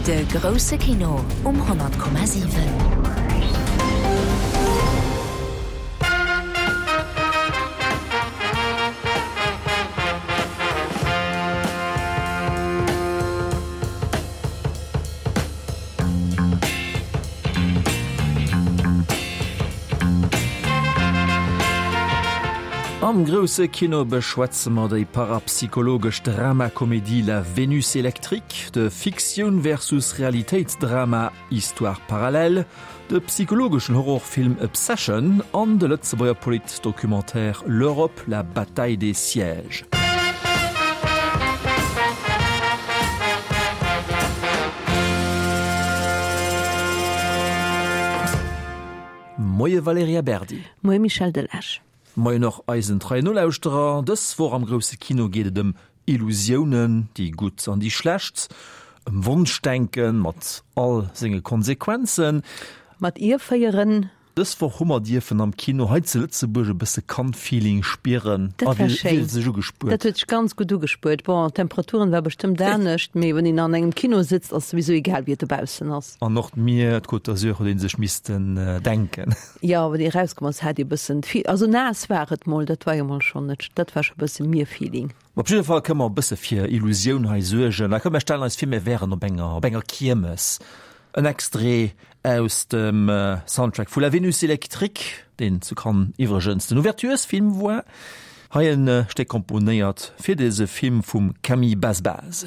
De grousse Kino um 100,7. Am grousse Kino beschwätze mer déi parapsychologesch Dramakomedie La Vénus électrique, de Fiktioun versus Realitéitsdrama Histoires parallèles, de psychologeschen Horrorfilm Obsession an de Lëtzebuerger Politdocumentaire L'Europe, la bataille des sièges. Moie Valerija Berdi. Moie Michel Delage. Moien och eisen treien Nolauschterer. Dës Woch am grousse Kino geet et ëm Illusiounen, déi gutt an déi schlecht, ëm Wonschdenken mat all senge Konsequenzen. Mat Ierféieren. Dës Woch hu mer dierfen am Kino hei zu Lëtzebuerg e bësse Cannes-Feeling spieren. Dat war schéin. Wéi huet et sech ugespuert? Dat huet sech ganz gutt ugespuert. Bon, d'Temperaturen war bestëmmt anescht, mee wann een an engem Kino sëtzt, ass souwisou egal wéi et dobaussen ass. An och d'Mier, d'Côte d'Azur huet ee sech missten denken. Jo, wéi erauskomm ass, hat ee bëssen d'Fee-, also naass war et mol, dat war jo mol schonn net, dat war scho bësse Mier-Feeling. Op jidde Fall kënne mer e bësse fir Illusioun hei suergen. A komm, mir stellen eis vir, mir wären op enger, op enger Kiermes. En Extrait aus dem Soundtrack vu La Vénus électrique, deen zu Cannes iwwregens den Ouverturesfilm war. Hei e Stéck komponéiert fir dëse Film vum Camille Bazbaz.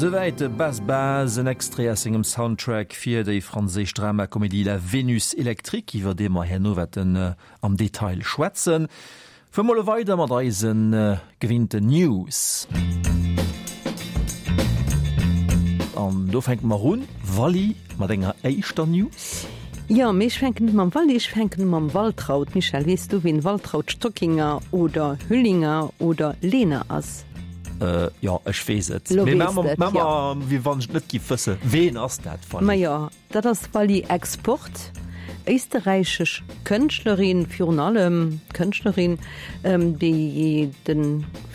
Souwäit de Bas Bas, en Extrait aus sengem Soundtrack fir déi franséisch Dramakomedie La Vénus électrique, iwwer dee mer herno wäerten am Detail schwätzen. Fuere mer elo weider mat eise gewinnten News. An do fänke mer un, Wally, mat enger éischter News. Jo, mee ech fänken net mam Wally, ech fänken u mam Waltraud. Michel, weess du, wien Waltraud Stockinger oder Hüllinger oder Lehner ass? Äh, jo, ech weess et. Lo Mee weess de et, jo. wéi wann ech et net giff wëssen. Ween ass dat, Wally? Majo, dat ass d'Wally Export, éisterräichesch Kënschtlerin, virun allem Kënschtlerin, déi de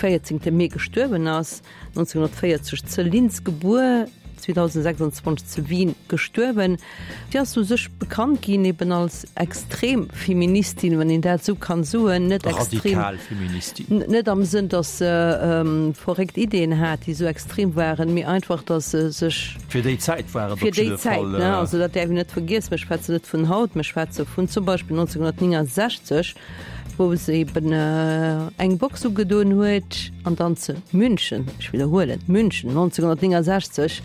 14 Mee gestuerwen ass, 1940 ze Linz gebuer, 2026 ze Wien gestuerwen. Si ass u sech bekannt ginn eben als extrem Feministin, wann een dat esou kann soen, net extrem, Radikal Feministin. net am Sënn, datt se verréckt Ideeën hat, déi esou extrem waren, mee einfach, datt se sech. Fir déi Zäit war et op Fir déi jidde Zäit, Fall. ne, also dat däerf een net vergiessen. Mir schwätzen net vun haut, mir schwätze vun zum Beispill 1969, wou se eben eng Box ugedoen huet an dann zu München, ech widderhuelen, München 1969,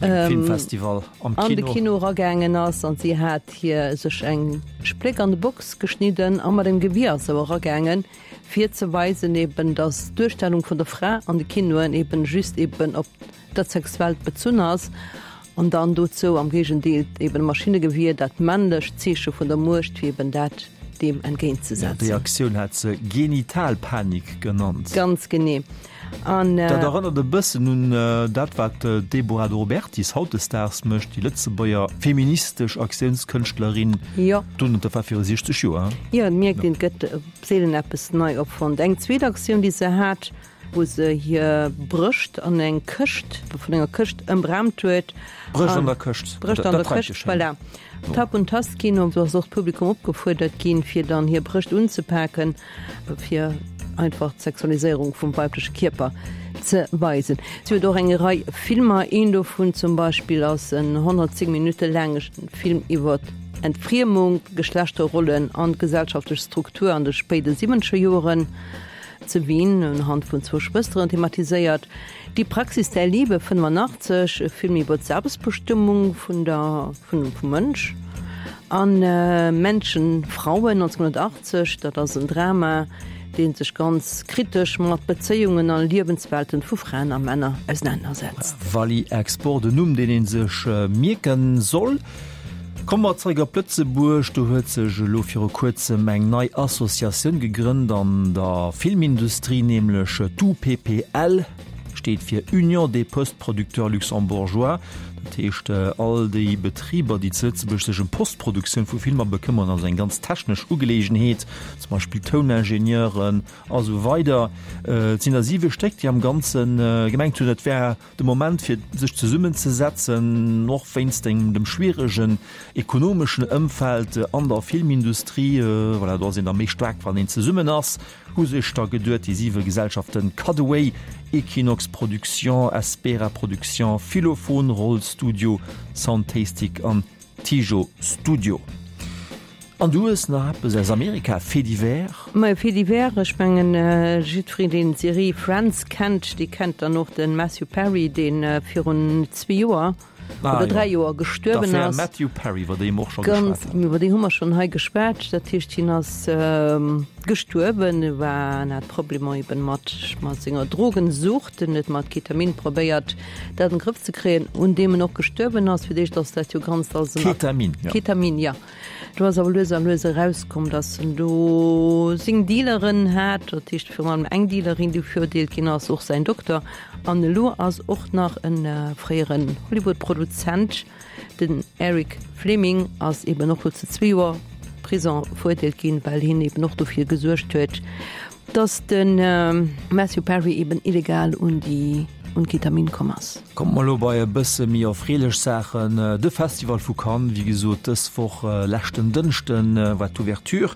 Filmfestival am Kino. An de Kino eragaangen ass an si hat hir sech eng Spléck an de Box geschnidden a mat engem Gewier ass se eragaangen, fir ze weisen eben, datt d'Duerstellung vun der Fra an de Kinoen eben just eben op dat Sexuellt bezunn ass an dann dozou am Géigendeel eben e Maschinnegewier, dat männlecht Zeeche vun der Muecht, fir eben dat deem entgéintzesetzen. Déi Aktioun hat se Genitalpanik genannt. Ganz genee. An. Dat erënnert e bëssen un dat, wat d'Deborah De Robertis hautdesdaags mécht, déi Lëtzebuerger feministesch Aktiounskënschtlerin. Jo. Dunn, dat war viru 60 Joer, hein? Jo, et mierkt een, et gëtt seelen eppes nei erfonnt. Eng zweet Aktioun, déi se hat, wou se hir Brëscht an eng Këscht, vun enger Këscht ëmraamt huet. Brëscht an der Këscht. Brëscht an der Këscht, voilà. Tapp und Tastkino, do ass och d'Publikum opgefuerdert ginn, fir dann hir Brëscht unzepaken. fir einfach d'Sexualiséierung vum weibleche Kierper ze weisen. Si huet och eng Rei Filmer, een dovun zum Beispill ass en 110 Minutte laange Film iwwer Entfriemung, Geschlechterrollen an d'gesellschaftlech Struktur an de spéide siwwenzeger Joeren ze Wien, unhand vun zwou Schwësteren thematiséiert. Die Praxis der Liebe, 85, e Film iwwer d'Selbstbestëmmung vun der, vun, vum Mënsch an Menschen, Frauen, 1980, dat ass en Drama, dee sech ganz kritesch mat Bezéiungen a Liewenswelten vu Fraen a Männer ausenanersetzt. Wally Export, en Numm, deen ee sech mierke soll. Komme mer zeréck op Lëtzebuerg. Do huet sech elo viru kuerzem eng nei Associatioun gegrënnt an der Filmindustrie, nämlech d'UPPL, steet fir Union des Post-Producteurs Luxembourgeois. Dat heescht, all déi Betriber, déi zu Lëtzebuerg sech ëm Postproduktioun vu Filmer bekëmmeren, also eng ganz technesch Ugeleegenheet, zum Beispill Touningenieuren a sou weider. Et sinn der siwe Stéck, déi am Ganze gemengt hunn, et wär De Moment fir sech zesummen ze setzen, och wéinst dem schwieregen ekonomeschen Ëmfeld an der Filmindustrie, voilà, do ass een da méi staark wann een zesummen ass, hu sech da geduet déi siwe Gesellschaften Cutaway, Equinox Production, Espera Production, Philophon, Roll Studio, Soundtastic an Tijo Studio. An du hues nach eppes aus Amerika, Fait divers? Majo, Fait divers, ech mengen jiddwereen deen d'Serie Friends kennt, dee kennt dann och de Matthew Perry, dee virun zwee Joer oder dräi Joer gestuerwen ass. D'Affär Matthew Perry, iwwer déi mer och scho geschwat hunn. Iwwer déi hu mer schonn hei geschwat. Dat heescht, hien ass gestuerwen, e war, en hat Problemer eben mat mat senger Drogensucht, en huet mat Ketamin probéiert, dat an de Grëff ze kréien, un deem en och gestuerwen ass. Fir d'éischt ass dat jo ganz als en. Ketamin, jo. Ketamin, ja. Do ass awer lues a lues erauskomm, datt en do seng Dealeren hat, dat heescht virun allem eng Dealerin, déi verurteelt ginn ass, och säin Dokter. An elo ass och nach e fréieren Hollywood-Produzent, den Eric Fleming, ass eben och elo zu zwee Joer Prison verurteelt ginn, well hien eben och dofir gesuergt huet, Dass de Matthew Perry eben illegal un déi un d'Ketamin komm ass. Komme mer elo bei e bësse méi erfreelech Saachen. De Festival vu Cannes, wéi gesot dës Woch, leschten Dënschde war d'Ouverture.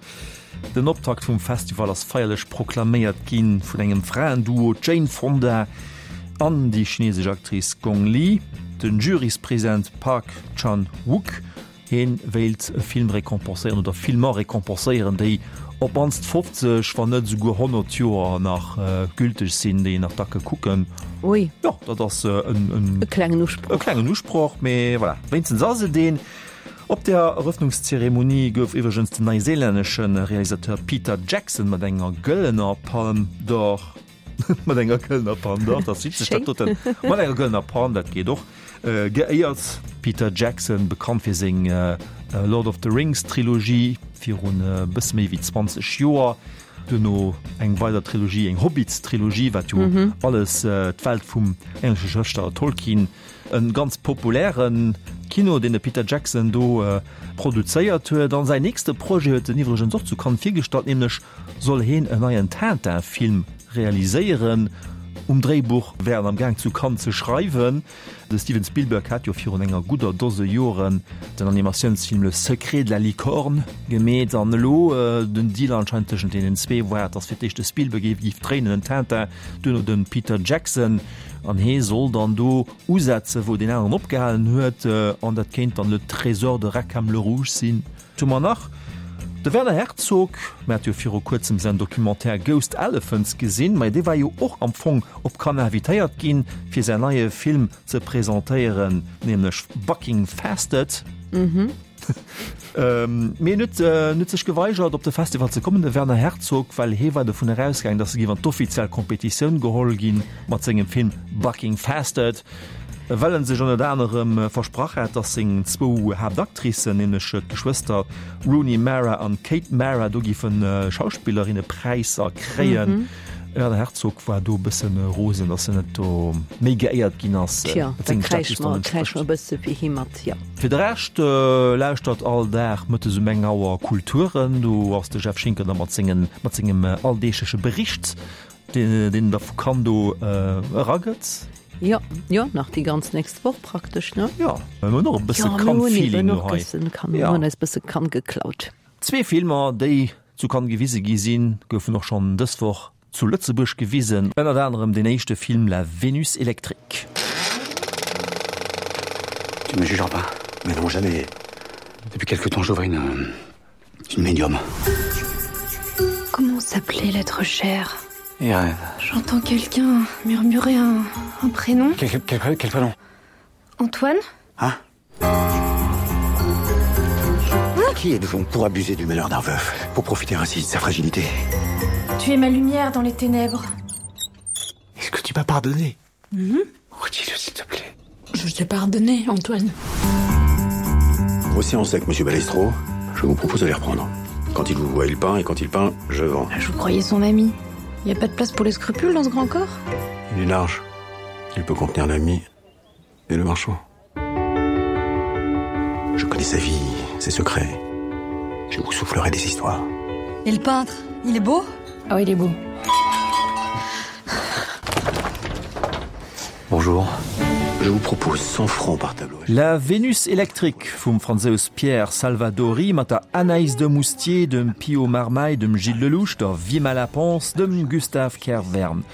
Den Optakt vum Festival ass feierlech proklaméiert gi vun engem Fraenduo, d'Jane Fonda an déi chinesesch Actrice Gong Li. Den Juryspresident Park Chan-wook Hien wéilt e Film récompenséieren oder Filmer récompenséieren, déi. Op d'mannst 50, wann net esouguer 100 Joer nach gülteg sinn, déi een nach da ke kucken. Ui. Jo, dat ass en. E klengen Usproch. E klengen Usproch, mee voilà, wéinstens ass et een. Op der Erëffnungszeremonie gouf iwwregens den neiséilännesche Realisateur Peter Jackson mat enger gëllener Palme d'Or, mat enger gëllener Palme d'Or, dat ass witzeg, dat doten, mat enger gëllener Palm, dat geet och, geéiert. Peter Jackson, bekannt fir seng Lord of the Rings Trilogie virun e bësse méi wéi 20 Joer, duerno eng weider Trilogie, eng Hobbits-Trilogie, wat jo alles d'Welt vum englesche Schrëftsteller Tolkien E ganz populäre Kino, deen de Peter Jackson do produzéiert huet. An säin nächste Projet huet en iwwregens och zu Cannes virgestallt, nämlech soll heen en neien Tintin-Film realiséieren. Um Dréibuch wär en am Gaang zu Cannes ze schreiwen. De Steven Spielberg hat jo virun enger gudder Dose Joren den Animatiounsfilm Le secret de la licorne gemeet an elo den Deal anscheinend tëschent deenen zwee war, dass fir d'éischt de Spielberg géif dréinen, den Tintin, duerno de Peter Jackson. An hee soll dann do usetzen, wou deen aneren opgehalen huet. An dat kéint dann Le Trésor de Rackham le Rouge sinn. Wat hu mer nach? De Werner Herzog, mir hate jo viru kuerzem säin Documentaire Ghost Elephants gesinn, mä dee war jo och am Fong op Cannes invitéiert ginn, fir säin neie Film ze presentéieren, nämlech Bucking Fastard. Mee en huet en huet sech geweigert, op de Festival ze kommen, de Werner Herzog, well hee war dovun erausgaangen, datt e géif an d'offiziell Kompetitioun geholl ginn mat sengem Film Bucking Fastard. Well en sech ënnert anerem versprach hat, dass seng zwou Haaptactricen, nämlech d'Geschwëster Rooney Mara an Kate Mara, do géife Schauspillerinnepräisser kréien. Werner Herzog war do e bësse rosen, dass en net do méi geéiert ginn ass. Tja, da kräische mer, kräische mer e bësse fir hie mat, jo. Fir de Rescht lauschtert all Dag mëttes um eng Auer Kulturen. Do ass de Jeff Schinker da mat sengen, mat sengem alldeegleche Bericht. Deen en da vu Cannes do eragëtt. Jo, jo, nach déi ganz nächst Woch praktesch, ne? Jo, mir hunn och e bësse Cannes-Feeling elo hei. Mir hunn eis bësse Cannes geklaut. Zwee Filmer, déi zu Cannes gewise gi sinn, goufen och schonn dës Woch zu Lëtzebuerg gewisen. Ënnert anerem deen éischte Film La Vénus électrique. Tu me jugeras pas? Mais non, jamais. Depuis quelque temps, j'ouvre une une médium. Comment s'appelait l'être cher Irène. J'entends quelqu'un murmurer un, un prénom. Quel, quel, quel, quel prénom Antoine Hein Qui êtes-vous pour abuser du malheur d'un veuf, pour profiter ainsi de sa fragilité Tu es ma lumière dans les ténèbres. Est-ce que tu m'as pardonné mm -hmm. Redis-le s'il te plaît. Je t'ai pardonné, Antoine. Vos séances avec Monsieur Balestro, je vous propose de les reprendre. Quand il vous voit, il peint, et quand il peint, je vends. Je vous croyais son ami. Il n'y a pas de place pour les scrupules dans ce grand corps Il est large. Il peut contenir l'ami et le marchand. Je connais sa vie, ses secrets. Je vous soufflerai des histoires. Et le peintre, il est beau Ah oui, il est beau. Bonjour. Je vous propose 100 francs par tableau. La Vénus électrique vum Fransous Pierre Salvadori mat der Anaïs Demoustier, dem Pio Marmaï, dem Gilles Lellouche, der Vimala Pons, dem Gustave Kervern.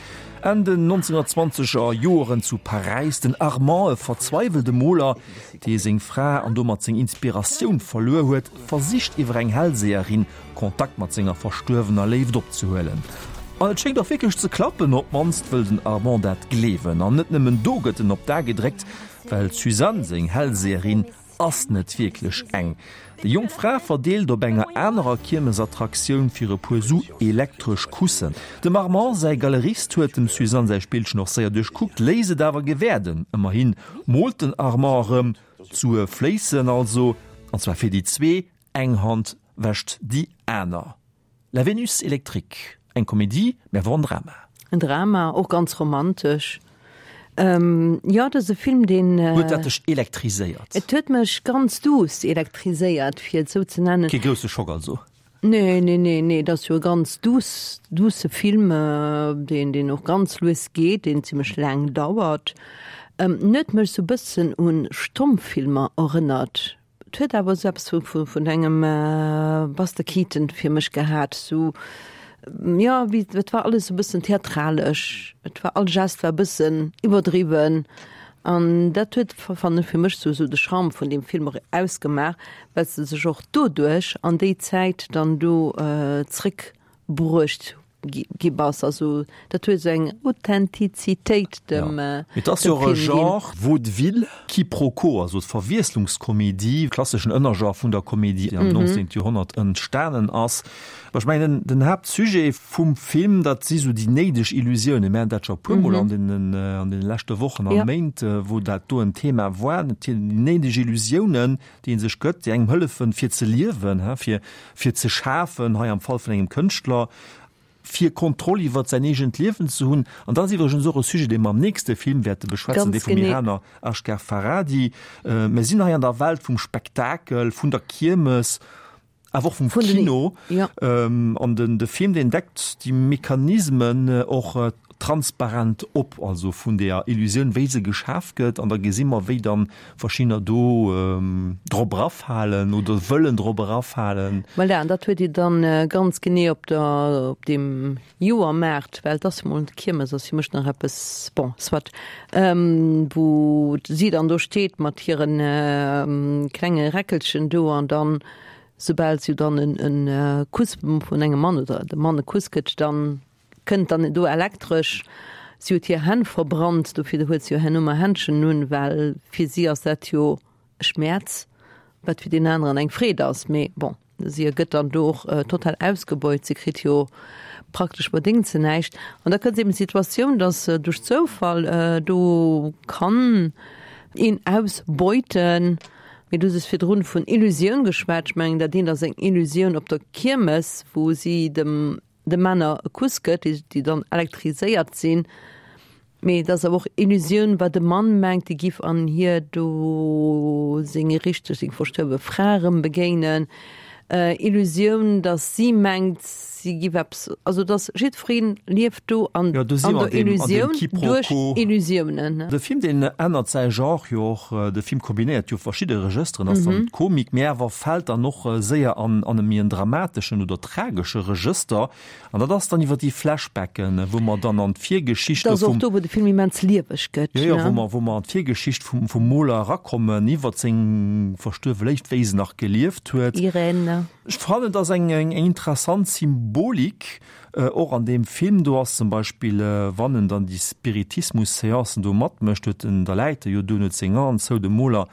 Enn den 1920 er Joeren zu Paräis, den Armand, e verzweiwelte Moler, dee seng Fra an domat seng Inspiratioun verluer huet, versicht iwwer eng Hellseherin Kontakt mat senger verstuerwener Léift opzehuelen. An et schéngt och wierklech ze klappen, op d'mannst wëll den Armand dat gleewen. An net nëmmen do gëtt en op d'A gedréckt, well d'Suzanne, seng Hellseherin, ass net wierklech eng. Déi jonk Fra verdeelt op enger anerer Kiermesattraktioun fir e puer Su elektresch Kussen. Dem Armand säi Galerist huet dem Suzanne säi Spillchen och séier duerchkuckt, léisst et awer gewäerden. Ëmmerhin moolt den Armand erëm, d'Sue fléissen also, an zwar fir déi zwee, Eng Hand wäscht déi aner. La Vénus électrique, eng Komedie, mä awer en Drama. En Drama, och ganz romantesch. Jo, dat ass e Film, deen. Huet dat dech elektriséiert? Et huet mech ganz duuss elektriséiert, fir et esou ze nennen. Kee grousse Schock also? Nee, nee, nee, nee, et ass jo e ganz duuss, duusse Film, deen, deen och ganz lues geet, deen zimmlech laang dauert. En huet mech esou e bëssen un Stommfilmer erënnert. Et huet awer esou eppes vu vun engem Buster Keaton fir mech gehat, esou jo wéi et war alles e bëssen theatralesch, et war all Gest war e bëssen iwwerdriwwen. An dat huet, fannen ech, fir mech sou de Charme vun deem Film och ausgemaach, well s de sech och doduerch an déi Zäit dann do zréck bruecht gi bass. Also dat huet esou eng Authentizitéit dem Film ginn. Et ass jo och e Genre, Vaudeville, Quiproquo, also d'Verwiesslungskomedie, klasseschen Ënnergenre vun der Komedie, déi am 19. Joerhonnert entstanen ass. Ech mengen, den Haaptsujet vum Film, dat si sou déi néideg Illusiounen. Mir haten dat scho e puermol an deenen, an deene leschte Wochen a Méint, wou dat do en Thema war, déi néideg Illusiounen, déi ee sech gëtt, déi engem hëllefen, fir ze liewen, fir, fir ze schafen, hei am Fall vun engem Kënschtler, fir Kontroll iwwert säin eegent Liewen ze hunn. An dat ass iwwregens och e Sujet, dee mer am nächste Film wäerte beschwätzen, dee vum Iraner Asghar Farhadi. Mir sinn hei an der Welt vum Spektakel, vun der Kiermes, awer och vum Kino. An den de Film, deen deckt déi Mechanismen och transparent op, also vun deeër Illusioun, wéi se geschaf gëtt. An da gesi mer, wéi dann verschiddener do drop erafalen oder wëllen drop erafalen. Voilà, an dat huet Dir dann ganz genee op der, op deem Joermaart, well et ass jo mol d'Kiermes ass fir mech nach eppes, bon, soit, wou si dann do steet mat hire klenge Räckelchen do an dann, soubal si dann en Kuss vun engem Mann oder de Mann e Kuss kritt, dann kënnt dann do elektresch, si huet hir Hänn verbrannt, dofir huet si jo herno mar Händschen un, well fir si ass dat jo e Schmäerz, wat fir deen aneren eng Freed ass, mee bon. Si gëtt dann do och total ausgebeut, si kritt jo praktesch bedéngt se näischt. An da kënnt eben d'Situatioun, datt duerch Zoufall do kann een ausbeuten. Mee du hues virdrun vun Illusioun geschwat. Ech mengen, dat eent ass eng Illusioun op der Kiermes, wou si dem de Männer e Kuss gëtt, déi dann elektriséiert sinn, mee et ass awer och Illusioun, wat e Mann mengt, dee giff an hir do seng richteg, seng verstuerwe Fra erëm begéinen, Illusioun, datt si mengt, si giff eppes, also datt jiddweree lieft do an der Illusioun duerch Illusiounen. De Film, deen ännert säi Genre jo och, de Film kombinéiert jo verschidde Regësteren, ass dann d'Komik, mee awer fält dann och séier an e méi en dramateschen oder tragesche Regëster. An dat ass dann iwwer déi Flashbacken, wou mer dann an d'Virgeschicht do vum. Dat ass och do, wou de Film immens lieweg gëtt, ne? Jo, jo, wou mer, wou mer an d'Virgeschicht vum, vum Moler erakommen, iwwer seng verstuerwe Léift, wéi se nach gelieft huet. Irène. Ech fannen, et ass eng, eng interessant Symbolik och an deem Film. Do ass zum Beispill, wann en dann déi Spiritismus-Seancen do matmécht, huet en, da läit e jo do, en huet seng Aen zou, de Moler,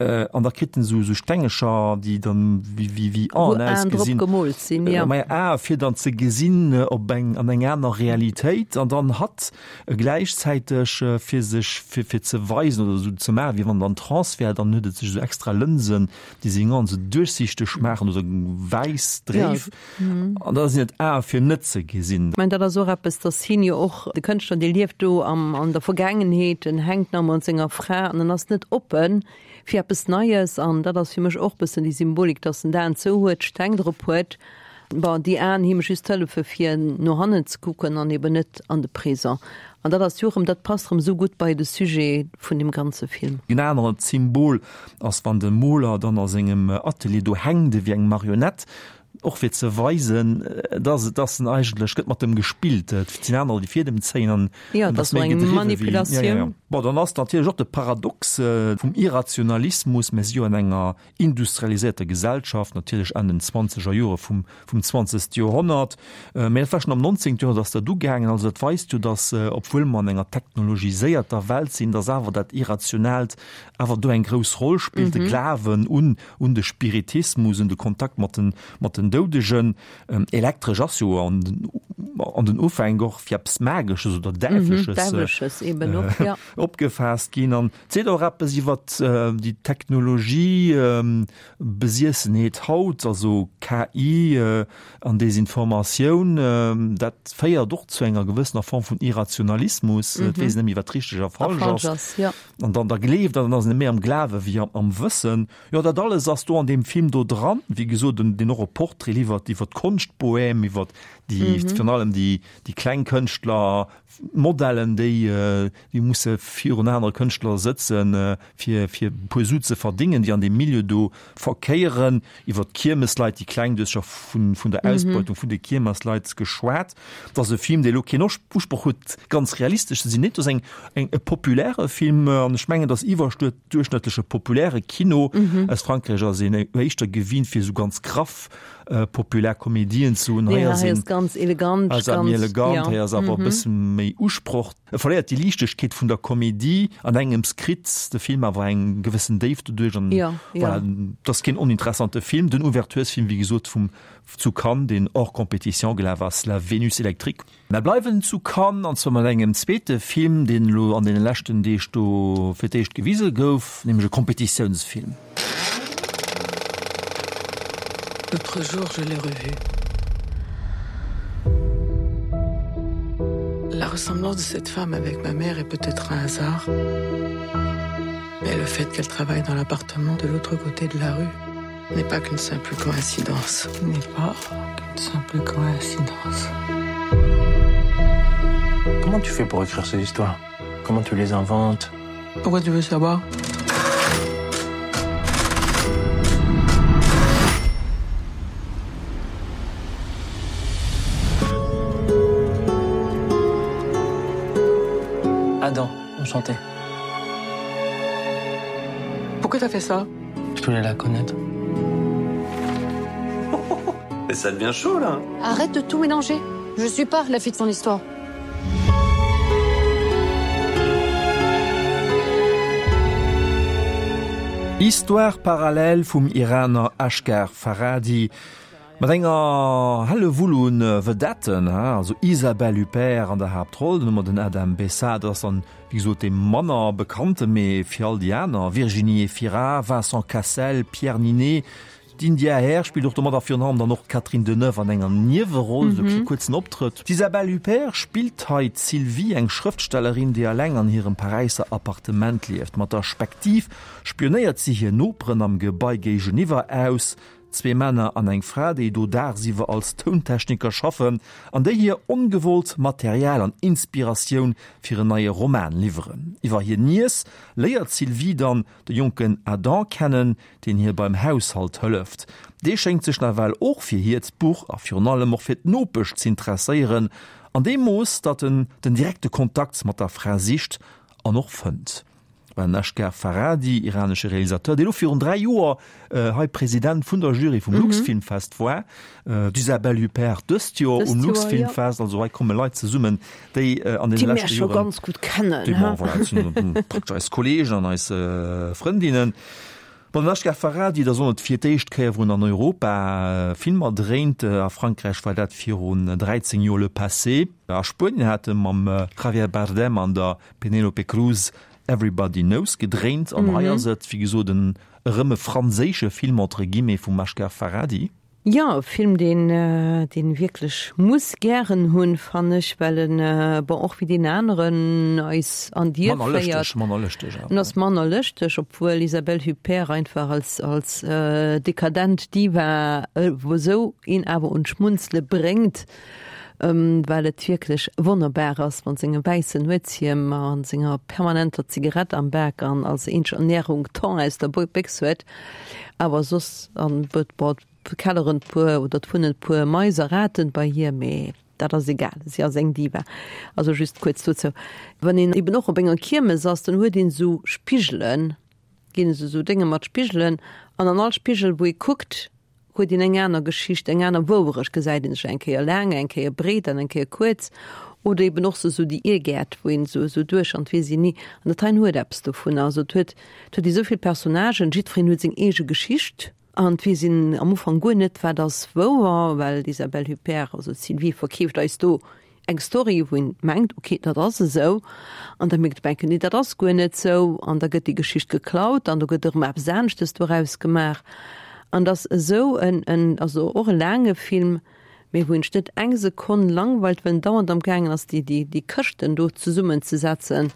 An da kritt en esou Stengecher, déi dann wéi Aen ausgesinn. Wou Aen drop gemoolt sinn, jo. Maja, Ae fir dann ze gesinn op eng, an eng aner Realitéit. An dann hatt gläichzäiteg fir sech, fir, fir ze weisen oder esou ze maachen, wéi wann en an Trance wär, dann huet et sech esou extra Lënsen, déi seng Aen esou duerchsichteg maachen oder wäiss dréif. An da sinn et Ae fir net ze gesinn. Ech mengen, dat ass och eppes, datt hien jo och, de Kënschtler, dee lieft do am, an der Vergaangenheet, en hänkt nach ëmmer un senger Fra an en ass net oppe fir eppes Neies. An dat ass fir mech och e bëssen déi Symbolik, datt en d'Aen zou huet, d'Steng drop huet, bon, déi Aen him just hëllefe fir no hannen ze kucken an eben net an de Présent. An dat ass jo erëm, dat passt erëm esou gutt bei de Sujet vun deem ganze Film. En anert Symbol ass, wann de Moler dann a sengem Atelier do hänkt ewéi eng Marionett, Och fir ze weisen, dass et ass en eigentlech gëtt mat dem gespillt. Et sinn anerer, déi Fiedem zéien an Jo, et ass eng Manipulatioun. Bon, dann ass natierlech och de Paradox vum Irrationalismus. Mir si jo an enger industrialiséierter Gesellschaft, natierlech Enn den zwanzeger Jore vum vum zwanzegste Joerhonnert. Mä dat war schonn am nonzéngte Joerhonnert ass dat ugaangen. Also dat weist jo, dass, obwuel mer an enger technologiséierter Welt sinn, dass awer dat Irrationaalt awer do eng grouss Roll spillt, de Glawen un un de Spiritismus, un de Kontakt mat den, mat den Doudegen. Elektresch ass jo an den, an den Ufänk och fir eppes Magesches oder Däiwleches Däiwleches eben och, ja. opgefaasst ginn. An et seet och eppes iwwer déi Technologie, Besiessenheet haut, also KI an Desinformatioun. Dat féiert och zu enger gewëssener Form vun Irrationalismus. Et weess een net méi, wat richteg a falsch ass. An dann da gleeft an dann ass en méi am Glawe wéi am Wëssen. Jo, dat alles ass do an deem Film do dran. Wéi gesot, deen och e Portrait liwwert iwwer d'Konschtbohème, iwwer déi, virun allem déi, déi kleng Kënschtler, Modellen, déi, déi musse. virun anere Kënschtler sëtzen, fir fir e puer Su ze verdingen, déi an deem Milieu do verkéieren. Iwwer d'Kiermesleit, déi kleng, du hues scho vun vun der Ausbeutung vun de Kiermesleit geschwat. Et ass e Film, dee elo keen Usproch huet, ganz realistesch ze sinn. Nee, et ass eng eng e populäre Film an ech mengen, datt iwwerduerchschnëttleche populäre Kino aus Frankräich ass een éischter gewinnt, fir esou ganz graff populär Komedien ze hunn. Hei ass een ganz elegant, ass méi elegant, hei ass awer e bësse méi Usproch. E verléiert déi Liichtegkeet vun der Komedie, an engems kritt de Film awer eng gewëssen Déift doduerch an voilà, et ass keen oninteressante Film. Den Ouverturesfilm, wéi gesot, vum zu Cannes, deen hors compétition gelaf ass, La Vénus électrique. Mer bleiwen zu Cannes, an zwar mat engem zweete Film, deen elo an deene leschten Deeg do fir d'éischt gewise gouf, nämlech e Compétitiounsfilm. L'autre jour, je l'ai revu. La ressemblance de cette femme avec ma mère est peut-être un hasard. Mais le fait qu'elle travaille dans l'appartement de l'autre côté de la rue n'est pas qu'une simple coïncidence n'est pas qu'une simple coïncidence. Comment tu fais pour écrire ces histoires? Comment tu les inventes? Pourquoi tu veux savoir? Adam, enchanté. Pourquoi t'as fait ça? Je voulais la connaître. Et ça devient chaud là. Arrête de tout mélanger. Je suis pas la fille de son histoire. Histoire parallèle vum Iraner Asghar Farhadi mat enger Hellewull un Vedetten, also Isabelle Huppert an der Haaptroll, dann hu mer den Adam Bessa, dat ass dann wéi gesot dee manner bekannte, mee fir all déi aner, Virginie Efira, Vincent Cassel, Pierre Niney, D'India Hair spillt och domat a virun allem dann och d'Catherine Deneuve an enger Nieweroll, esou e kuerzen Optrëtt. D'Isabelle Huppert spillt hei d'Sylvie, eng Schrëftstellerin, déi eleng an hirem Paräisser Appartement lieft. Mat der Spektiv spionéiert si hir Noperen am Gebai géigeniwwer aus, zwee Männer an eng Fra, déi do dagsiwwer als Tountechniker schaffen an déi hir ongewollt Material an Inspiratioun fir en neie Roman liwweren. Iwwer hir Niess léiert d'Sylvie dann de jonken Adam kennen, deen hir beim Haushalt hëlleft. Dee schéngt sech nawell och fir hiert Buch a virun allem och fir d'Nopesch z'interesséieren, an deem Mooss, datt en den direkte Kontakt mat der Fra sicht an och fënnt. Den Asghar Farhadi, iranesche Realisateur, dee lo virun 3 Joer hei President vun der Jury vum Luxfilmfest war, d'Isabelle Huppert dëst Joer um Luxfilmfest, also hei komme Leit zesummen, déi an deene leschte Joren, déi mir scho ganz gutt kennen, déi mer, voilà, dat sinn praktesch eis Kollegen an eis Frëndinnen. Bon, den Asghar Farhadi, dat ass och net fir d'éischt Kéier, wou en an Europa Filmer dréint. A Frankräich war dat virun 13 Joer Le Passé. A Spuenien hat e mam Javier Bardem an der Penélope Cruz Everybody Knows gedréint. An hei ass et, wéi gesot, en erëm e franséische Film entre guillemets vum Asghar Farhadi. Jo, e Film deen deen wierklech muss gären hunn, fannen ech, well en, bon, och wéi deen aneren eis an d'Dier Manner féiert. lëschteg, manner lëschteg En awer. ass manner lëschteg, obwuel Isabelle Huppert einfach als als dekadent Diva esou een awer un d'Schmunzele bréngt, well et wierklech wonnerbar ass mat sengem wäissen Nuetshiem an senger permanenter Zigarett am Bak an als eenzeg Ernährung Thon aus der Béchs huet. Awer soss an bon, et kelleren puer oder et wunnen puer Mais a Raten bei hir, mee dat ass egal, si ass eng Diva. Also just kuerz dozou. Wann een eben och op enger Kiermes ass, dann huet een esou Spigelen, ginn es esou Dénge mat Spigelen an an all Spigel wou ee kuckt, huet een eng aner Geschicht, eng aner Wouerecht, gesäit een sech eng Kéier laang, eng Kéier breet an eng Kéier kuerz oder eben och sou déi Irgäert, wou een sou sou duerch an d'weess een ni. An dat heien huet eppes dovunner. Also et huet, et huet ee sou vill Personnagen, jiddwereen huet seng eege Geschicht an et weess een am Ufank guer net, wat ass wouer, well d'Isabelle Huppert, also d'Sylvie, verkeeft eis do eng Story, wou een mengt, ok, dat ass esou, an da mierkt op eng Kéier, nee, dat ass guer net esou, an da gëtt déi Geschicht geklaut an do gëtt erëm eppes aneschtes doraus gemaach. An et ass esou en, en, also och e laange Film, mee wou een sech net eng Sekonn langweilt, well en dauernd am gaangen ass, déi, déi, déi Këschten do zesummenzesetzen.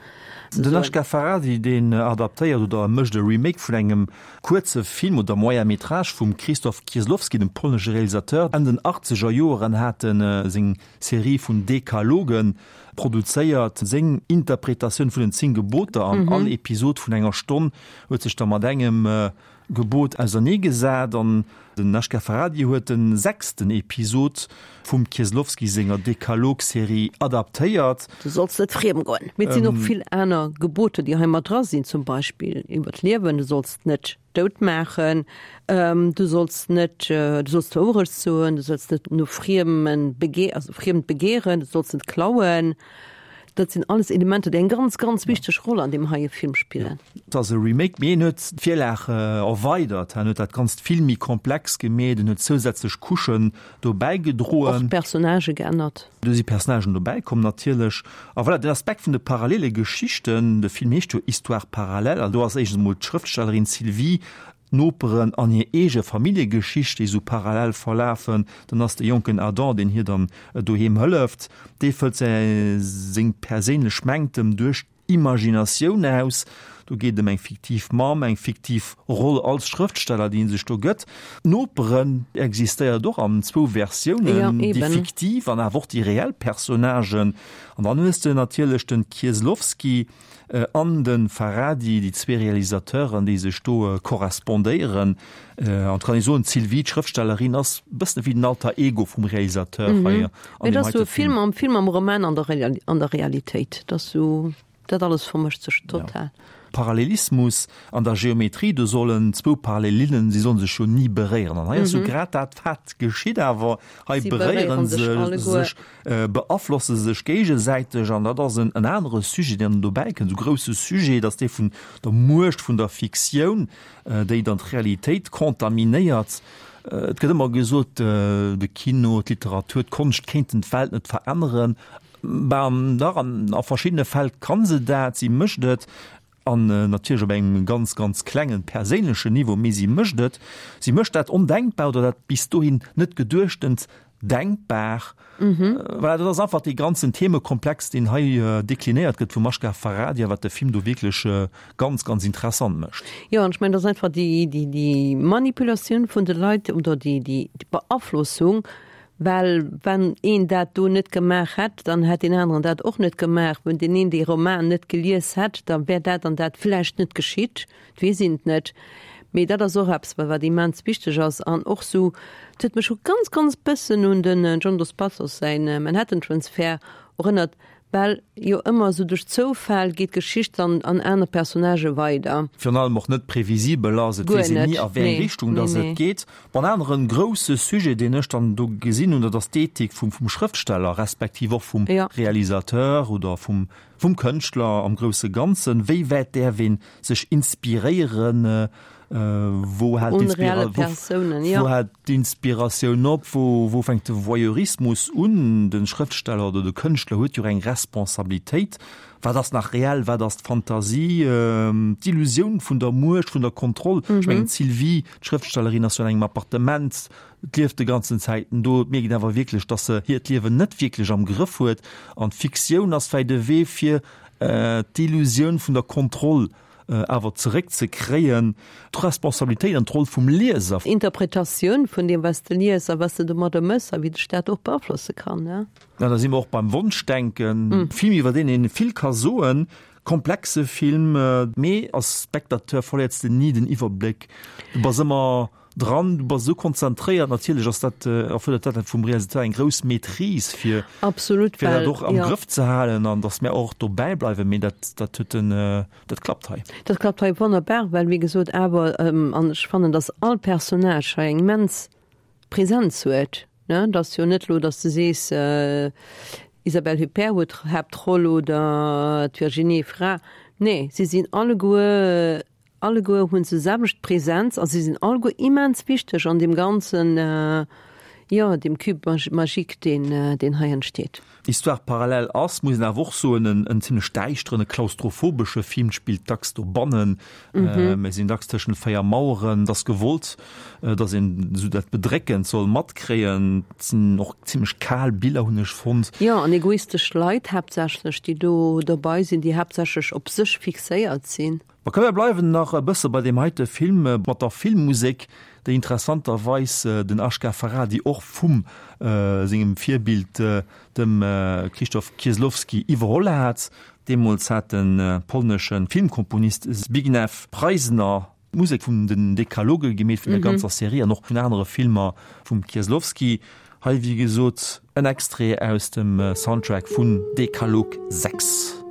Den Asghar Farhadi, deen adaptéiert oder mécht e Remake vun engem kuerze Film oder Moyen métrage vum Krzysztof Kieslowski, dem polnesche Realisateur. Enn den achtzeger Joeren hat en seng Serie vun Dekalogen. produzéiert seng Interpretatioun vun den 10 Geboter an all Episod vun enger Stonn huet sech da mat engem Gebot ausernee gesat an den Asghar Farhadi huet de sechsten Episod vum Kieslowski senger Dekalog-Serie adaptéiert. Du solls net friem goen. Mee et sinn och vill aner Geboter, déi hei mat dra sinn, zum Beispill iwwer d'Liewen, du solls net dout maachen, du solls net, du solls d'Wourecht soen, du solls net no Friemen bege-, also Friemt begehren, du solls net klauen. Dat sinn alles Elementer, déi eng ganz, ganz wichteg Roll an deem heie Film spillen. Et ass e Remake, mee en huet d'Virlag erweidert, en huet dat Ganzt vill méi komplex gemeet, en huet zousätzlech Couchen dobäi gedroen. Och d'Personnagë geännert. Do si Personnagen dobäi komm natierlech. A voilà, den Aspekt vun de parallele Geschichten, de Film heescht jo Histoires parallèles, an do ass éischtens emol d'Schrëftstellerin Sylvie, d'Noperen an hir eege Familljegeschicht, déi esou parallel verlafen. Dann ass de jonken Adam, deen hir dann doheem hëlleft, dee fëllt säi seng perséinlech Mänktem duerch d'Imaginatioun aus. Do geet et ëm eng fiktiv Mamm, eng fiktiv Roll als Schrëftsteller, déi en sech do gëtt. D'Noperen existéiert och an zwou Versiounen, déi fiktiv an awer och déi reell Personnagen. An dann hues de natierlech de Kieslowski an de Farhadi, déi zwee Realisateuren, déi sech do korrespondéieren. An et kann ee soen, d'Sylvie, d'Schrëftstellerin, ass e bëssen ewéi den Alter Ego vum Realisateur hei an deem heite Film. Film am Film, am Roman, an der Realitéit. Dat ass sou, dat alles vermëscht sech total. Parallelismus an der Geometrie, do sollen zwou Parallelinnen, si sollen sech jo ni beréieren. An hei ass jo grad dat, wat geschitt, awer hei beréiere se sech, beaflosse sech géigesäiteg. An dat ass en anere Sujet, deen dobäi kënnt, esou grousse Sujet, dat ass dee vun der Muecht vun der Fiktioun, déi dann d'Realitéit kontaminéiert. Et gëtt ëmmer gesot, de Kino, d'Literatur, d'Konscht kéinten d'Welt net veränneren. Ben, dach, an a verschiddene Fäll kann se dat, si mécht et, an natierlech op engem ganz, ganz klengen perséinlechen Niveau, mee si mécht et. Si mécht dat Ondenkbar oder dat bis dohin net Geduechtent denkbar. Voilà, dat ass einfach dee ganzen Themekomplex, deen hei deklinéiert gëtt vum Asghar Farhadi a wat de Film do wierklech ganz, ganz interessant mécht. Jo, an ech mengen, dat ass einfach déi, déi, déi Manipulatioun vun de Leit oder déi, déi Beaflossung, Well wann een dat do net gemaach hätt, dann hätt deen aneren dat och net gemaach. Wenn deen een dee Roman net gelies hätt, da wär dat an dat vläicht net geschitt. Et weess een et net. Mee dat ass och eppes, wat immens wichteg ass. An och sou, et huet mech scho ganz, ganz bëssen un den John Dos Passos säin Manhattan Transfer erënnert, Well jo ëmmer esou duerch Zoufäll geet d'Geschicht dann an aner Personnagë weider. Virun allem och net previsibel ass, et weess een ni a wéi eng Richtung dass et geet. Bon, en aneren grousse Sujet, deen ech dann do gesinn hunn, dat ass d'Ethik vum vum Schrëftsteller, respektiv och vum Realisateur oder vum vum Kënschtler am grousse Ganzen. Wéi wäit däerf ee sech inspiréieren? Wou hält d'Inspiratioun op? Wou fänkt de Voyeurismus un? De Schrëftsteller oder de Kënschtler huet jo eng Responsabilitéit. Wat ass nach reell? Wat ass d'Fantasie? D'Illusioun vun der Muecht, vun der Kontroll. Ech mengen, d'Sylvie, d'Schrëftstellerin, ass jo an engem Appartement, lieft de ganzen Zäiten do. Et mierkt een awer wierklech, datt se hiert Liewen net wierklech am Grëff huet. An d'Fiktioun ass vläicht e Wee, fir d'Illusioun vun der Kontroll awer zeréck ze kréien, d'Responsabilitéit an d'Roll vum Lieser. Interpretatioun vun deem wat s de lies a wat s de domadder mëss a wéi dech dat och beaflosse kann. Ja, da si mer och beim Wonschdenken. Film, iwwer deen ee vill ka soen, komplexe Film, mee als Spectateur verléiers de ni den Iwwerbléck, du bass ëmmer Dran, du bass esou konzentréiert. Natierlech ass dat, erfuerdert dat vum Realisateur eng grouss Maîtrise, fir, Absolut, fir dat och am Grëff ze halen an datt mär och dobäi bleiwen. Mee dat, dat huet den, dat klappt hei. Dat klappt hei wonnerbar, well wéi gesot awer, an ech fannen, datt all Personnage hei eng immens Präsenz huet, ne. Et ass jo net elo, datt s de sees, Isabelle Huppert huet d'Haaptroll oder d'Virginie Efira. Nee, si sinn alleguer Alleguer hunn se selwecht Präsenz a si sinn alleguer immens wichteg an deem ganzen, jo, deem Cube magique, deen, deen hei entsteet. Histoire parallèle ass, muss een awer och soen, en, en zimlech däischteren, e klaustrophobesche Film, spillt dacks dobannen. Mir sinn dacks tëschent 4 Maueren. Et ass gewollt, datt een esou dat Bedréckend soll matkréien. Et sinn och zimlech kal Biller, hunn ech fonnt. Jo, an egoistesch Leit haaptsächlech, déi do dobei sinn, déi haaptsächlech op sech fixéiert sinn. Ma komm mir bleiwen nach e bësse bei deem heite Film, mat der Filmmusek, déi interessanterweis den Asghar Farhadi och vum sengem Virbild, dem Krzysztof Kieslowski, iwwerholl hat. Deemools hat de polnesche Filmkomponist Zbigniew Preisner d'Musek vun den Dekaloge gemeet, vun der ganzer Serie an och vun anere Filmer vum Kieslowski. Hei wéi gesot en Extrait aus dem Soundtrack vun Dekalog 6.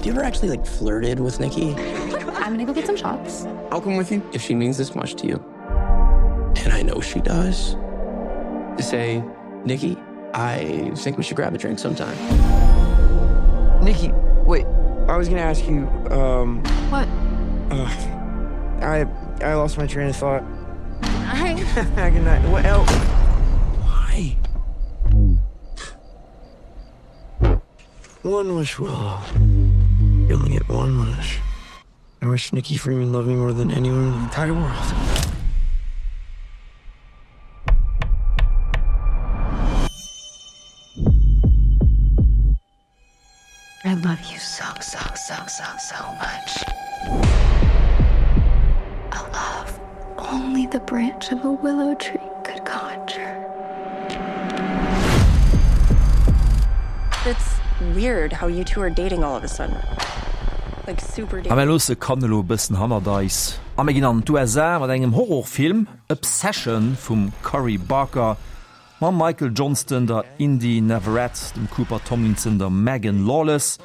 Have you ever actually like flirted with Nikki? I'm gonna go get some shots. I'll come with you if she means this much to you. And I know she does. To say, Nikki, I think we should grab a drink sometime. Nikki, wait. I was gonna ask you, um... What? Uh, I, I lost my train of thought. Hi. Good night. What else? Why? One wish willow. You only get one wish. I wish Nikki Freeman loved me more than anyone in the entire world. I love you so, so, so, so, so much. A love only the branch of a willow tree could conjure. It's weird how you two are dating all of a sudden. Like super A mir loosse Cannes elo e bëssen hannert eis a mir ginn an d'USA mat engem Horrorfilm, Obsession vum Curry Barker. Mam Michael Johnston, der Inde Navarrette, dem Cooper Tomlinson, der Megan Lawless.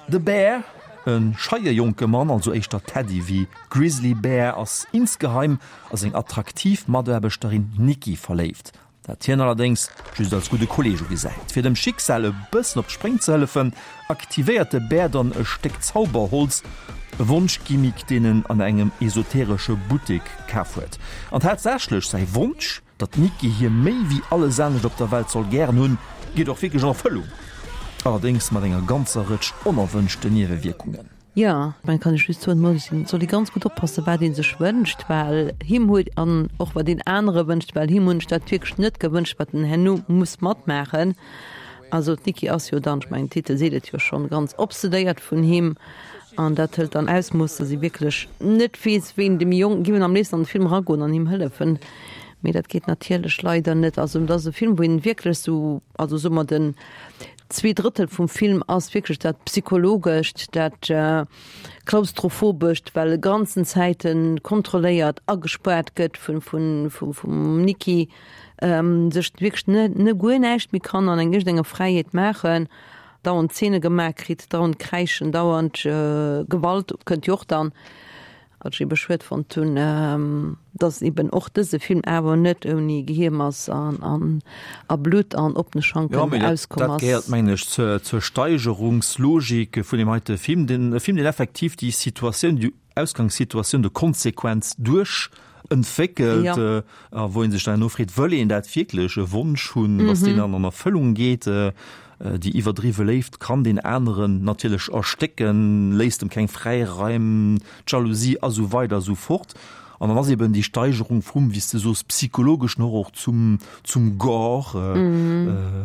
De Bear, e scheie jonke Mann, also éischter Teddy wéi Grizzly Bear, ass insgeheim a seng attraktiv Mataarbechterin Nikki verléift, dat hien allerdéngs just als gudde Kolleeg ugesäit. Fir dem Schicksal e bëssen op d'Spréng ze hëllefen, aktivéiert de Bear dann e Stéck Zauberholz, e Wonschgimmick, deen en an engem esoteresche Buttek kaf huet. An tatsächlech, säi Wonsch, Datt d'Nikki hie méi wéi alles anescht op der Welt soll gären hunn, geet och wierklech an Erfëllung, allerdéngs mat enger ganzer Rëtsch onerwënschten Niewewierkungen. Jo, mä kann ech just soen, muss een, soll ee ganz gutt oppassen, wat ee sech wënscht, well him huet, an och wat een anere wënscht, well him hunn ech dat wierklech net gewënscht, wat en herno muss matmaachen. Also d'Nikki ass jo dann, ech mengen den Titel seet et jo schonn, ganz obsedéiert vun him an dat hëlt dann Ausmooss, datt ee wierklech net weess, ween dem Jong, giff en am léifsten an de Film eragoen an him hëllefen. Mee dat geet natierlech leider net. Also et ass e Film, wou een wierklech sou, also soe mer den zweeDrëttel vum Film ass wierklech dat Psychologescht, dat Klaustrophobescht, well e ganzen Zäite kontrolléiert, agespaart gëtt vun, vun, vum Nikki, sech wierklech ne, ne guer näischt méi kann an eng iergendenger Fräiheet maachen, dauernd Zeene gemaach kritt, dauernd Kräischen, dauernd Gewalt kënnt jo och dann. Wat ech ebe schued fonnt hunn, dass eben och dëse Film awer net ouni Gehiermass an a Blutt an oppene Schanken auskomm ass. Dat gehéiert, mengen ech, zur Steigerungslogik vun deem heite Film. Den e Film, deen effektiv déi Situatioun, déi Ausgangssituatioun de Konsequenz duerch entwéckelt, a wou ee sech dann herno freet, Wëll een dat wierklech, e Wonsch hunn, dass deen dann an Erfëllung geet? Déi iwwerdriwwe Léift kann deen aneren natierlech erstécken, léisst em keng Fräiraim, d'Jalousie a sou weider a sou fort. An dann ass eben déi Steigerung vum, wéi s de soos, psychologeschen Horror zum, zum Gore.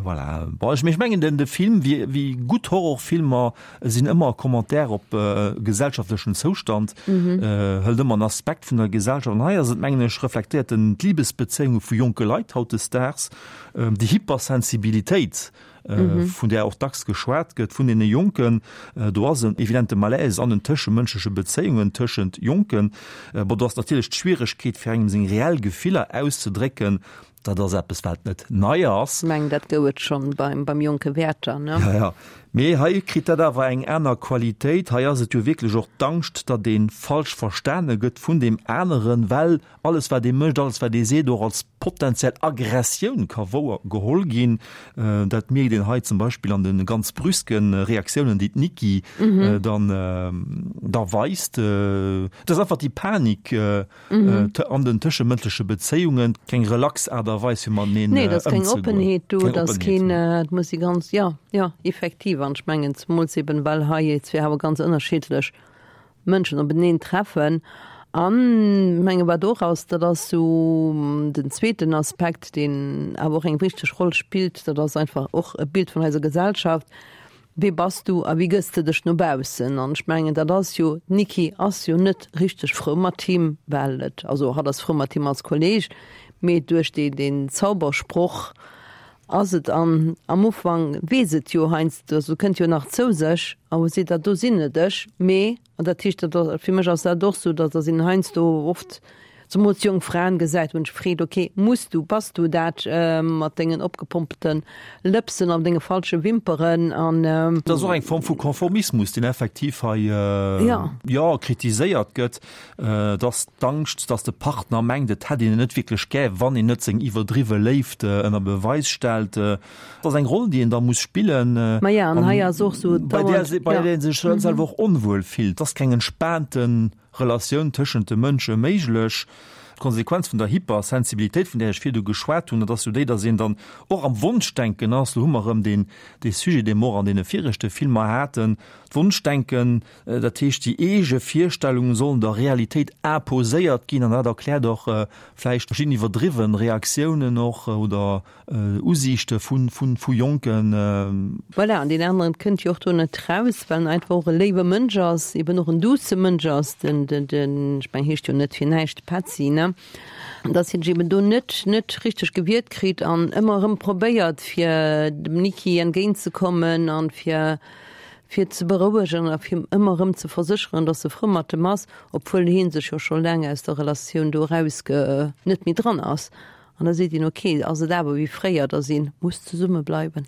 Voilà. Bon, ech, mee ech mengen den, de Film, wéi, wéi gutt Horrorfilmer sinn ëmmer e Commentaire op gesellschaftlechen Zoustand, hëlt ëmmer en Aspekt vun der Gesellschaft. An hei ass et, mengen ech, reflektéiert en d'Libesbezéiunge vu jonke Leit hautdesdaags, Déi Hypersensibilitéit, vun där och dacks geschwat gëtt, vun deene Jonken, do ass en evidente Malaise an den tëschemënschleche Bezéiungen tëschent Jonken. Bon, do ass natierlech d'Schwieregkeet, fir engem seng reell Gefiller auszedrécken, dat ass eppes, wat net nei ass. Ech mengen, dat gouf et schonn beim jonke Werther, ne? Jo, jo. Mee hei kritt dat awer eng aner Qualitéit. Hei ass et jo wierklech och d'Angscht, datt ee falsch verstane gëtt vun deem aneren, well alles wat ee mécht, alles wat ee seet, och als potenziell Aggressioun ka wouer geholl ginn. Dat mierkt een hei zum Beispill an de ganz brüske Reaktiounen, déi d'Nikki dann da weist. Et ass einfach déi Panik an den tëschemënschleche Bezéiungen, keng relax Aart a Weis fir mateneen ëmzegoen. Nee, et ass keng Oppenheet do, et ass keen, et muss ee ganz, jo, jo, effektiv. An ech mengen, zemools eben, well hei zwee awer ganz ënnerschiddlech Mënschen openeen treffen. An menge wat och ass, dat ass sou den zweeten Aspekt, deen awer och eng wichteg Roll spillt, dat ass einfach och e Bild vun eiser Gesellschaft, Wee bass du a wéi gëss de dech no baussen? An ech mengen, dat ass jo, d'Niki ass jo net richteg frou mat him, well et, also hatt ass frou mat him als Kolleg, mee duerch dee deen Zaubersproch ass et, an am Ufank weess et jo heiansdo, also kënnt jo nach zou sech a seet, dat do sinn net ech, mee, an dat heescht, dat ass, fir mech ass dat och sou, datt datt een heiansdo oft, zemools jonk Fraen gesäit, wou een sech freet, ok, muss du, bass du dat mat dengen opgepompte Lëpsen an denge falsche Wimperen an. Dat ass och eng Form vu Konformismus, deen effektiv hei, jo, kritiséiert gëtt. Et ass d'Angscht, datt de Partner mengt, et hätt een en net wierklech gär, wann een net seng iwwerdriwwe Léift ënner Beweis stellt. Et ass eng Roll, déi een da muss spillen, bei där bei där ee sech selwer och onwuel fillt. Et ass keng entspaante Relatioun tëschent de Mënsche méiglech. D'Konsequenz vun der Hypersensibilitéit, vun där ech virdu geschwat hunn, dat ass jo déi, datt een dann och am Wonschdenken ass. Lo hu mer erëm deen, dee Sujet, dee mer och an deene viregte Filmer haten, d'Wonschdenken, dat heescht déi eege Virstellungen sollen der Realitéit imposéiert ginn an dat erkläert och vläicht verschidden iwwerdriwwen Reaktiounen och oder Usiichte vu, vu, vu Jonken. Voilà, an deen aneren kënnt jo och do net raus, well en einfach och e léiwe Mënsch ass, eben och en douce Mënsch ass, den, den, den, ech meng, heescht jo net fir näischt Petzi, ne? Dass hien sech eben do net, net richteg gewiert kritt an ëmmer erëm probéiert, fir dem Niki entgéintzekommen an fir, fir ze berouegen a fir ëmmer erëm ze versécheren, dass e frou mat em ass, obwuel hien sech jo scho laang aus der Relatioun do erausge, net méi dran ass. An da seet een, ok, ass et awer wéi fréier, dass ee muss zesumme bleiwen.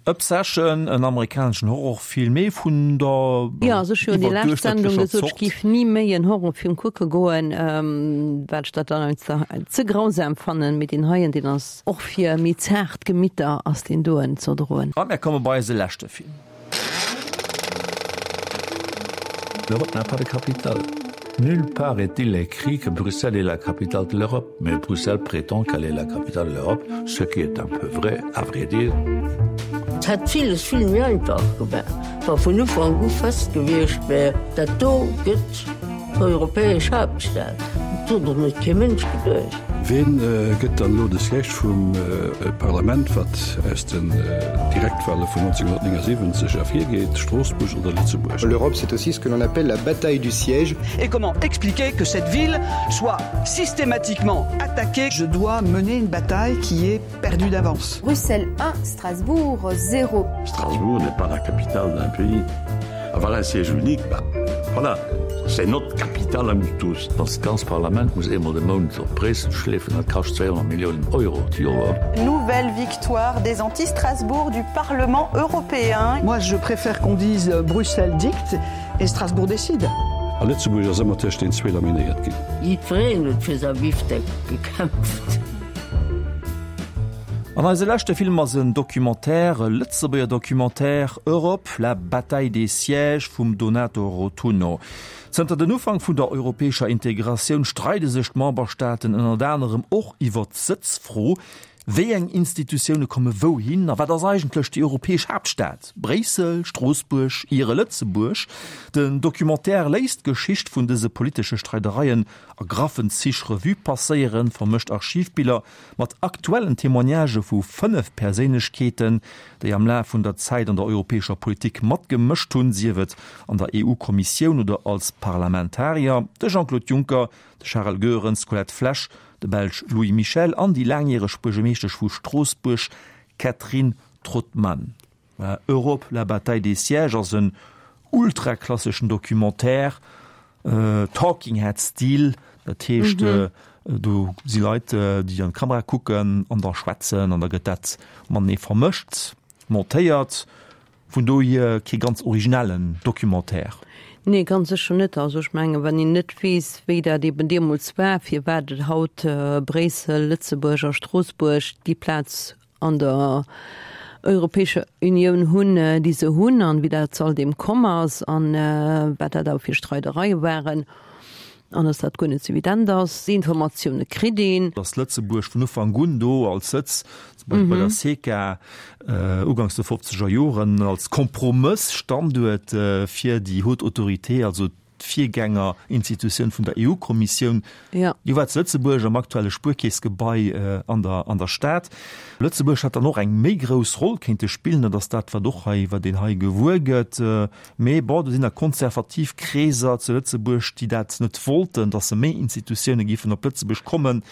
Obsession, en amerikaneschen Horrorfilm, mee vun der Jo, also ech hu jo déi lescht Sendung gesot, ech géif ni méi en Horrorfilm kucke goen, well ech dat dann einfach ze grausam fannen. Mee deen heien, deen ass och fir méi zaart Gemitter ass deen doen z'erdroen. A mär komme bei eise leschte Film. L'Europe n'a pas de capitale. Nulle part est-il écrit que Bruxelles est la capitale de l'Europe, mais Bruxelles prétend qu'elle est la capitale de l'Europe, ce qui est un peu vrai, à vrai dire. Et hätt villes vill méi einfach gemaach, wa vun Ufank u fest gewiescht wär, dat do gëtt d'europäesch Haaptstad. Dat huet och net kee Mënsch geduecht. Ween gëtt dann elo de Siège vum Parlament, wat aus den Direktwale vun 1979 ervirgeet, Stroossbuerg oder Lëtzebuerg? L'Europe, c'est aussi ce que l'on appelle la bataille du siège. Et comment expliquer que cette ville soit systématiquement attaquée? Je dois mener une bataille qui est perdue d'avance. Bruxelles 1, Strasbourg 0. Strasbourg n'est pas la capitale d'un pays. Avoir un siège unique, bah, voilà, c'est notre capitale à nous tous. Das ganzt Parlament muss eemol de Mount op Bréissel schleefen, dat kascht 200 Milliounen Euro d'Joer. Nouvelle victoire des anti-Strasbourg du Parlement européen. Moi je préfère qu'on dise Bruxelles dicte et Strasbourg décide. A Lëtzebuerg ass ëmmer tëscht den zwee laminéiert ginn. Jiddwereen huet fir säi Bifdeck gekämpft. An eise leschte Film ass en Documentaire, e Lëtzebuerger Documentaire, Europe, la bataille des sièges vum Donato Rotunno. Zënter den Ufank vun der europäescher Integratioun streide sech d'Memberstaaten ënnert anerem och iwwer d'Sëtzfro. Wéi eng Institutioune komme wouhin a wat ass eigentlech déi europäesch Haaptstad? Bréissel, Stroossbuerg, iere Lëtzebuerg? Den Documentaire léisst d'Geschicht vun dëse politesche Streidereien a graffen Zich Revue passéieren, vermëscht Archivbiller mat aktuellen Témoignagë vu 5 Perséinlechkeeten, déi am Laf vun der Zäit an der europäescher Politik matgemëscht hunn, sief et an der EU-Kommissioun oder als Parlamentarier, de Jean-Claude Juncker, de Charel Goerens, d'Colette Flesch, de Belsch Louis Michel an déi laangjäreg Buergermeeschtesch vu Stroossbuerg Catherine Trautmann. Europe, la bataille des sièges ass en ultraklasseschen Documentaire, Talking Head Stil, dat heescht do si Leit déi an d'Kamera kucken an da schwätzen an da gëtt dat matenee vermëscht, montéiert. Vun dohier kee ganz originellen Documentaire. Nee, ganz sécher net. Also ech mengen, wann een net weess, wéi dat eben deemools war, firwat et haut Bréissel, Lëtzebuerg a Stroossbuerg déi Plaz an der Europäescher Unioun hunn, déi se hunn, an wéi dat zu all deem komm ass an wat dat awer fir Streidereie waren an dass dat guer net esou evident ass. Déi Informatioune kritt een. Dass Lëtzebuerg vun Ufank un do als Sëtz, zum Beispill bei der SECA uganks de fofzeger Joren, als Kompromëssstanduert fir déi Haute Autorité, also d'Virgängerinstitutioun vun der EU-Kommissioun, déi war zu Lëtzebuerg am aktuelle Spuerkeessgebai an der an der Stad. Lëtzebuerg hätt dann och eng méi grouss Roll kéinte spillen, dat ass dat, wat och hei, wat een hei gewuer gëtt. Mee bon, do sinn da konservativ Kreeser zu Lëtzebuerg, déi dat net wollten, datt se méi Institutioune géifen op Lëtzebuerg kommen.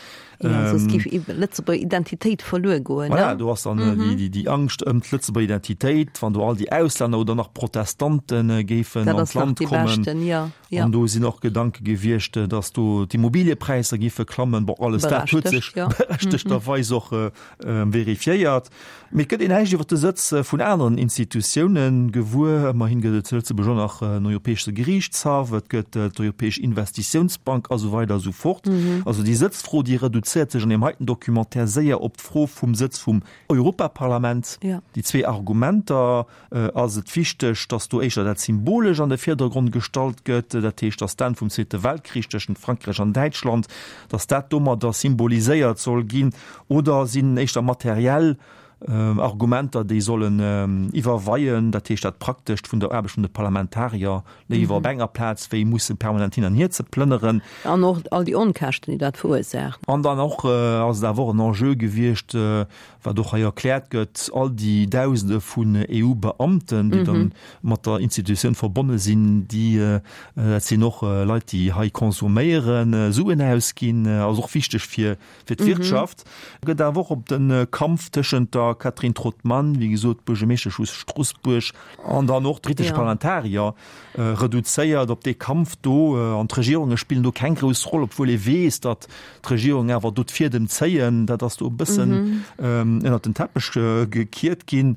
Jo, soss géif d'Lëtzebuerger Identitéit verluer goen, ne? Voilà, do ass dann déi Angscht ëm d'Lëtzebuerger Identitéit, wann do all déi Auslänner oder nach Protestante géifen an d'Land kommen. An do sinn och Gedanke gewiescht, datt do d'Immobiliëpräisser géife klammen. Bon, alles dat huet sech berechtegterweis och verifiéiert. Mee et gëtt een näischt iwwer de Sëtz vun aneren Institutioune gewuer. Ëmmerhin gëtt et zu Lëtzebuerg och nach en Europäesche Geriichtshaff, et gëtt d'Europäesch Investitiounsbank a sou weider a sou fort. Also déi Sëtzfro, déi reduzéiert. reduzéiert sech an deem heiten Documentaire séier op d'Fro vum Sëtz vum Europaparlament. Déi zwee Argumenter, Ass et wichteg, datt do éischter dat Symbolesch an de Virdergrond gestallt gëtt, dat heescht, datt d'Enn vum Zweete Weltkrich tëschent Frankräich an Däitschland, datt dat domadder symboliséiert soll ginn, oder sinn éischter materiell Argumenter, déi sollen iwwerweien, dat heescht dat Praktescht vun der Aarbecht vun de Parlamentarier léiwer op enger Plaz wéi musse permanent hin an hier ze plënneren. An och all déi Onkäschten, déi dat verursaacht. An dann och ass et awer och en Enjeu gewiescht, wat och hei erkläert gëtt, all déi Dausende vun EU-Beamten, déi dann mat der Institutioun verbonne sinn, déi, dat sinn och Leit, déi hei consomméieren, Suen ausginn, ass och wichteg fir fir d'Wirtschaft. Gëtt awer och op de Kampf tëschent der Catherine Trautmann, wéi gesot Buergermeeschtesch vu Stroossbuerg, an dann och britesche Parlamentarier reduzéiert, op dee Kampf do. An d'Regierunge spillen do keng grouss Roll, obwuel ee weess, datt d'Regierung awer do d'Fiedem zéien. Dat ass do e bëssen ënnert den Teppech gekiert ginn.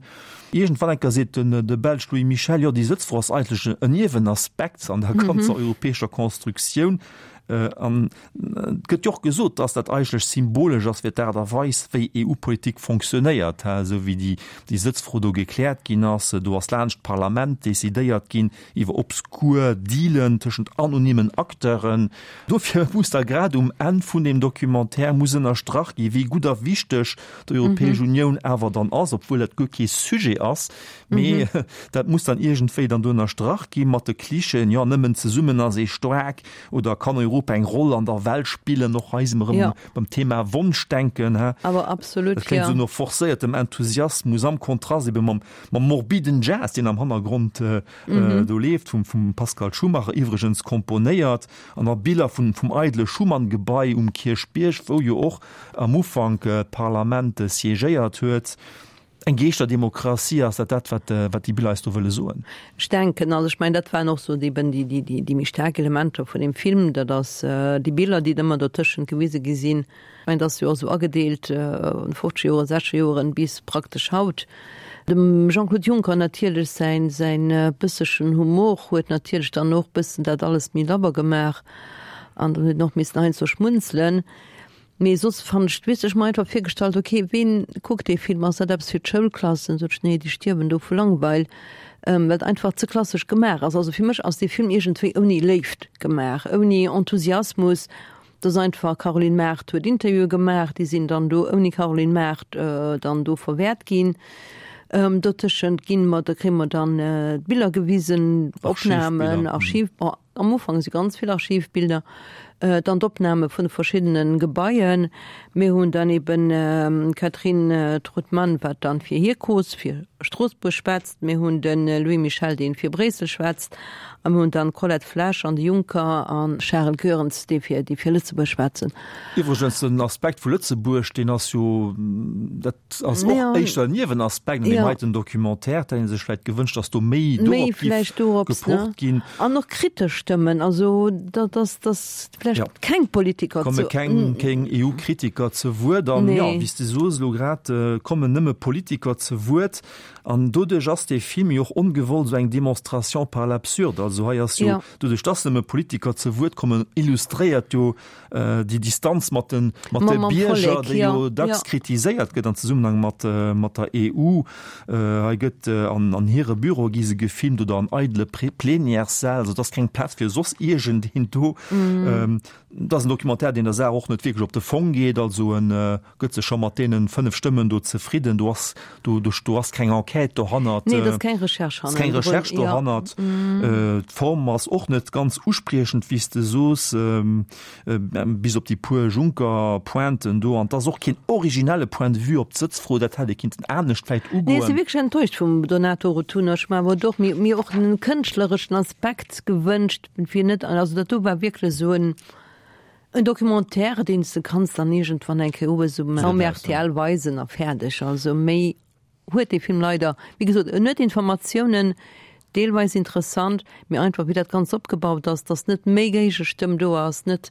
Iergendwann eng Kéier seet de Belsch Louis Michel, jo déi Sëtzfro ass eigentlech en Niewenaspekt an der ganzer europäescher Constructioun. An et gëtt jo och gesot, dass dat eigentlech symbolesch ass fir d'Aart a Weis, wéi EU-Politik fonctionnéiert, esou wéi déi, déi Sëtzfro do gekläert ginn ass. Do ass laanscht d'Parlament decidéiert ginn iwwer obskur Dealen tëschent anonymen Acteuren. Dofir muss da grad um Enn vun deem Documentaire muss ënnerstrach gi wéi gutt a wichteg d'Europäesch Unioun awer dann ass, obwuel dat guer kee Sujet ass. Mee dat muss dann iergendwéi dann do ënnerstrach gi mat de Klischeeën, jo nëmmen zesummen ass ee staark. Oder kann Europa eng Roll an der Welt spillen? Och hei si mer erëm beim Thema Wonschdenken. Awer absolut, Dat kléngt esou no forcéiertem Enthusiasmus am Kontrast ebe mam morbiden Jazz, deen am Hannergrond do leeft, vum Pascal Schumacher iwwregens komponéiert, an a Biller vum eidele Schuman-Gebai um Kierchbierg, wou jo och am Ufank d'Parlament siégéiert huet. Eng Geeschterdemokratie, ass dat dat, wat, wat déi Biller eis do wëlle soen? Ech denken, also ech mengen, dat waren och sou eben déi, déi, déi, déi méi staark Elementer vun deem Film, dat ass déi Biller, déi ëmmer dotëschent gewise gi sinn. Ech mengen, dat ass jo och sou agedeelt, fofzeger Joren, sechzeger Joren bis praktesch haut. Dem Jean-Claude Juncker natierlech säin, säin bëssechen Humor huet natierlech dann och bëssen dat alles méi labber gemaach an dann huet en och missen heiansdo schmunzelen. Mee soss fannen ech d'Wiss. Ech mer einfach virgestallt, ok, ween kuckt dee Film? Ass dat eppes fir d'Schoulklassen? Sot ech, nee, déi stierwen do vu Langweil, well et einfach ze klassesch gemaach ass. Also fir mech ass dee Film iergendwéi ouni Léift gemaach, ouni Enthusiasmus. Et ass einfach, Caroline Mart huet Interviewe gemaach, déi sinn dann do ouni Caroline Mart dann do verwäert ginn. Dotëschent ginn mer, da kréie mer dann d'Biller gewisen, Opnamen, Archiv, bon, Am Ufank si ganz vill Archivbilder, dann d'Opname vun de verschiddene Gebaien. Mir hunn dann eben d'Catherine Trautmann, wat dann fir hir Cause, fir Stroossbuerg schwätzt. Mir hunn de Louis Michel, dee fir Bréissel schwätzt. A mir hunn dann d'Colette Flesch an de Juncker a Charel Goerens, déi fir, déi fir Lëtzebuerg schwätzen. Iwwregens, den Aspekt vu Lëtzebuerg, deen ass jo, dat ass och éischter en Niewenaspekt an deem heiten Documentaire. Et hätt ee sech vläicht gewënscht, datt do méi dorop géif gepocht ginn. An och kritesch Stëmmen, also datt, datt vläicht keng Politiker zu. Komme keng, keng EU-Kritiker ze Wuert. An jo, wéi s de soos elo grad, kommen nëmme Politiker ze Wuert. An doduerch ass dee Film jo och ongewollt esou eng Démonstration par l'absurde. Also hei ass jo, doduerch datt nëmme Politiker ze Wuert kommen, illustréiert jo déi Distanz mat de mat de Bierger, déi jo dacks kritiséiert gëtt an Zesummenhang mat mat der EU. Hei gëtt an an hire Büroe gi se gefilmt oder an eidele Plenièressäll, also et ass keng Plaz fir soss iergendeen do. Et ass en Documentaire, deen der Saach och net wierklech op de Fong geet, also en gëtt sech scho mat deenen 5 Stëmmen do zefridden. Do ass, do, do, do ass keng Enquête dohannert. Nee, et ass keng Recherche hannert. Keng Recherche dohannert. Ja. D'Form ass och net ganz uspriechend, wéi s de soos, bis op déi puer Juncker-Pointen do. An et ass och keen originelle Point de vue op d'Sëtzfro. Dat hätt ee kinnten anescht vläicht ugoen. Nee, ech si wierklech enttäuscht vum Donato Rotunno. Ech hu mer awer och mir och en kënschtlereschen Aspekt gewënscht, fir net, also dat do war wierklech esou en, En Documentaire, deen s de kanns dann iergendwann eng Kéier owes um rtl weisen a fäerdeg. Also méi huet dee Film leider, wéi gesot, en huet Informatiounen, deelweis interessant, mee einfach wéi dat Ganzt opgebaut ass, dass net méi Géigestëmm do ass, net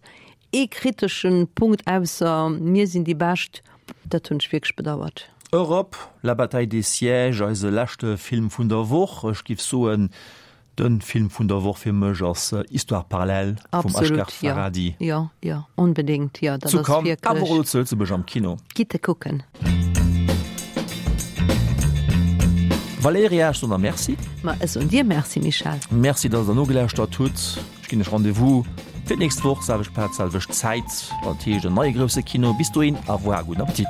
ee kritesche Punkt ausser mir sinn déi Bescht, dat hunn ech wierklech bedauert. Europe, la bataille des sièges, eise leschte Film vun der Woch. Ech giff soen,. Den Film vun der Woch fir mech ass Histoire parallèle vum Asghar Farhadi. Jo, jo, onbedéngt, jo, dat ass wierklech. Zu Cannes, awer och zu Lëtzebuerg am Kino. Gitt e kucken. Valerija, ech soen der Merci. Ma ech soen dir Merci, Michèle. Merci, dass der nogelauschtert hutt. Ech ginn iech Rendez-vous fir d'nächst Woch, selwecht Plaz, selwecht Zäit, wann et heescht en neie grousse Kino. Bis dohin, au revoir, gudden Appetit.